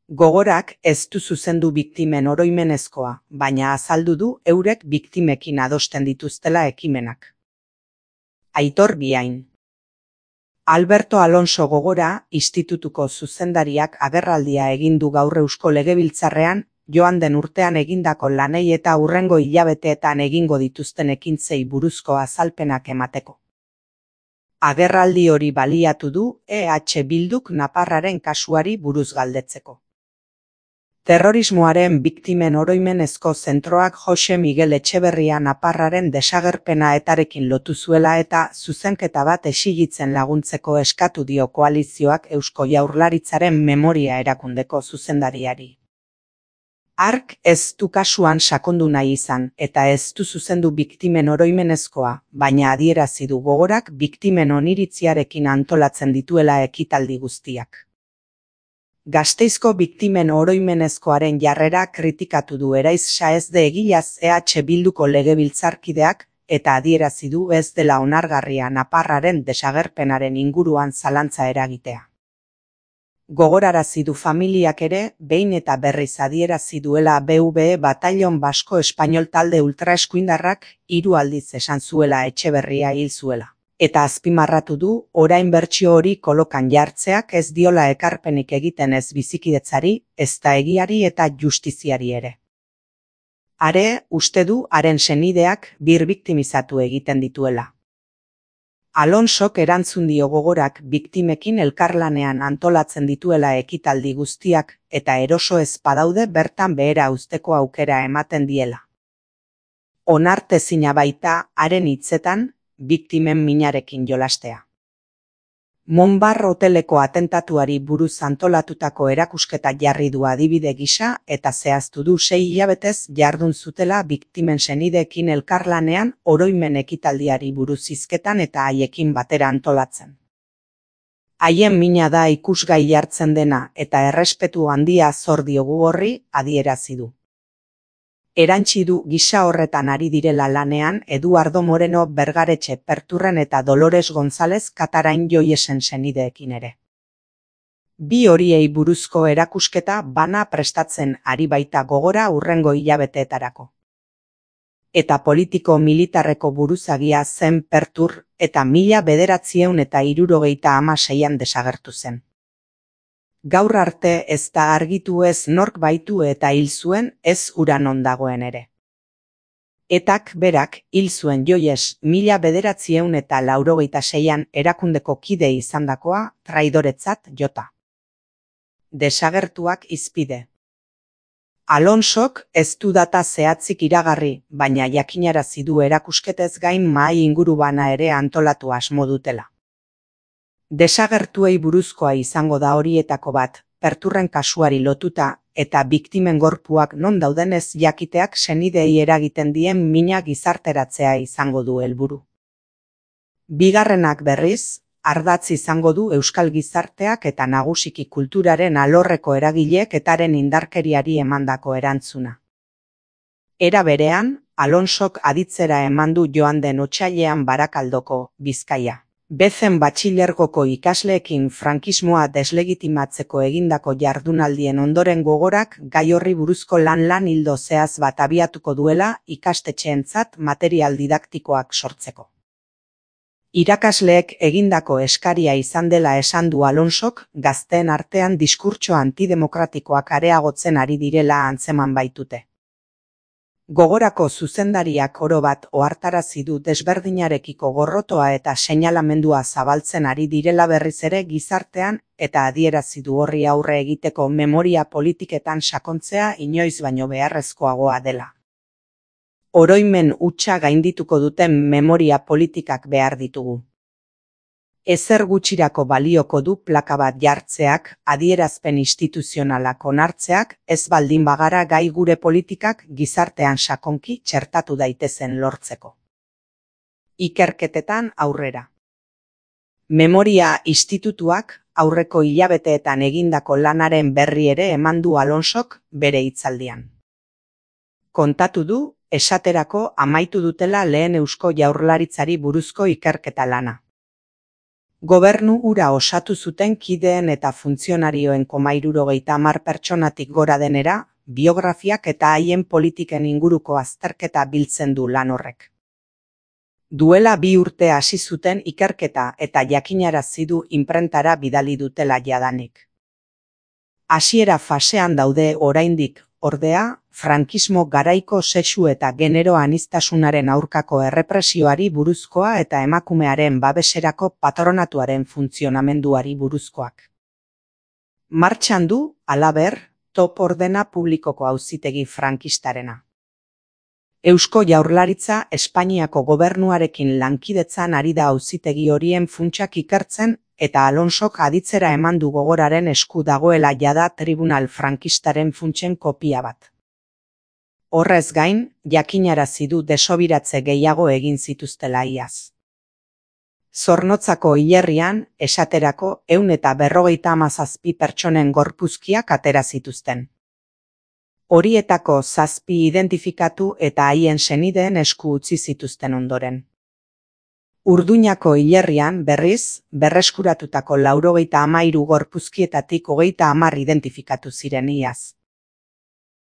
Gogorak ez du zuzendu biktimen oroimenezkoa, baina azaldu du eurek biktimekin adosten dituztela ekimenak. Aitor Biain. Alberto Alonso Gogora institutuko zuzendariak agerraldia egin du gaur Eusko Legebiltzarrean, joan den urtean egindako lanei eta hurrengo hilabeteetan egingo dituzten ekintzei buruzko azalpenak emateko. Agerraldi hori baliatu du EH Bilduk Naparraren kasuari buruz galdetzeko. Terrorismoaren biktimen oroimenezko zentroak Jose Miguel Etxeberria Naparraren desagerpena etarekin lotu zuela eta zuzenketa bat exigitzen laguntzeko eskatu dio koalizioak Eusko Jaurlaritzaren memoria erakundeko zuzendariari. Hark ez du kasuan sakondu nahi izan eta ez du zuzendu biktimen oroimenezkoa, baina adierazi du Gogorak biktimen oniritziarekin antolatzen dituela ekitaldi guztiak. Gasteizko biktimen oroimenezkoaren jarrera kritikatu du Eraiz Saezde Egilaz EH Bilduko legebiltzarkideak eta adierazi du ez dela onargarria Naparraren desagerpenaren inguruan zalantza eragitea. Gogorarazi du familiak ere, behin eta berriz adierazi duela BVE Batallon Basko Espainol talde ultraeskuindarrak 3 aldiz esan zuela Etxeberria hil zuela. Eta azpimarratu du, orain bertsio hori kolokan jartzeak ez diola ekarpenik egiten ez bizikidetzari, ezta egiari eta justiziari ere. Are, uste du haren senideak birbiktimizatu egiten dituela. Alonsok erantzun dio Gogorak biktimekin elkarlanean antolatzen dituela ekitaldi guztiak eta eroso ez badaude bertan behera uzteko aukera ematen diela. Onartezina baita, haren hitzetan, biktimen minarekin jolastea. Monbar hoteleko atentatuari buruz antolatutako erakusketa jarri du adibide gisa eta zehaztu du 6 hilabetez jardun zutela biktimen senideekin elkarlanean oroimen ekitaldiari buruz hizketan eta haiekin batera antolatzen. Haien mina da ikusgai jartzen dena eta errespetu handia zor diogu horri adierazi du. Erantsi du gisa horretan ari direla lanean Eduardo Moreno Bergaretxe Perturren eta Dolores González Katarain Joiesen senideekin ere. Bi horiei buruzko erakusketa bana prestatzen ari baita Gogora hurrengo hilabeteetarako. Eta politiko militarreko buruzagia zen Pertur eta 1976an desagertu zen. Gaur arte ez da argitu ez nork baitu eta hil zuen ez hura non dagoen ere. Etak berak hil zuen Joies 1986an erakundeko kide izandakoa traidoretzat jota. Desagertuak hizpide. Alonsok ez du data zehatzik iragarri, baina jakinarazi du erakusketez gain mahai ingurubana ere antolatu asmo dutela. Desagertuei buruzkoa izango da horietako bat, Perturren kasuari lotuta eta biktimen gorpuak non daudenez jakiteak senideei eragiten dien mina gizarteratzea izango du helburu. Bigarrenak berriz, ardatz izango du euskal gizarteak eta nagusiki kulturaren alorreko eragileek etaren indarkeriari emandako erantzuna. Era berean, Alonsok aditzera eman du joan den otsailean Barakaldoko, Bizkaia. Bezen batxilergoko ikasleekin frankismoa deslegitimatzeko egindako jardunaldien ondoren Gogorak gai horri buruzko lan ildo zehaz bat abiatuko duela ikastetxeentzat material didaktikoak sortzeko. Irakasleek egindako eskaria izan dela esan du Alonsok, gazteen artean diskurtso antidemokratikoak areagotzen ari direla antzeman baitute. Gogorako zuzendariak oro bat ohartarazi du desberdinarekiko gorrotoa eta seinalamendua zabaltzen ari direla berriz ere gizartean eta adierazi du horri aurre egiteko memoria politiketan sakontzea inoiz baino beharrezkoagoa dela. Oroimen hutsa gaindituko duten memoria politikak behar ditugu. Ezer gutxirako balioko du plaka bat jartzeak, adierazpen instituzionalak onartzeak, ez baldin bagara gai gure politikak gizartean sakonki txertatu daitezen lortzeko. Ikerketetan aurrera. Memoria institutuak aurreko hilabeteetan egindako lanaren berri ere eman du Alonsok bere hitzaldian. Kontatu du, esaterako amaitu dutela lehen Eusko Jaurlaritzari buruzko ikerketa lana. Gobernu hura osatu zuten kideen eta funtzionarioen 70 pertsonatik gora denera, biografiak eta haien politiken inguruko azterketa biltzen du lan horrek. Duela 2 urte hasi zuten ikerketa eta jakinarazi du inprentara bidali dutela jadanik. Hasiera fasean daude oraindik, ordea, frankismo garaiko sexu eta genero aniztasunaren aurkako errepresioari buruzkoa eta emakumearen babeserako patronatuaren funtzionamenduari buruzkoak. Martxan du, halaber, top ordena publikoko auzitegi frankistarena. Eusko Jaurlaritza Espainiako gobernuarekin lankidetzan ari da auzitegi horien funtsak ikertzen eta Alonsok aditzera eman du Gogoraren esku dagoela jada tribunal frankistaren funtsen kopia bat. Horrez gain, jakinarazi du desobiratze gehiago egin zituztela iaz. Zornotzako hilerrian, esaterako 157 pertsonen gorpuzkiak atera zituzten. Horietako 7 identifikatu eta haien senideen esku utzi zituzten ondoren. Urduñako hilerrian, berriz, berreskuratutako 93 gorpuzkietatik 30 identifikatu ziren iaz.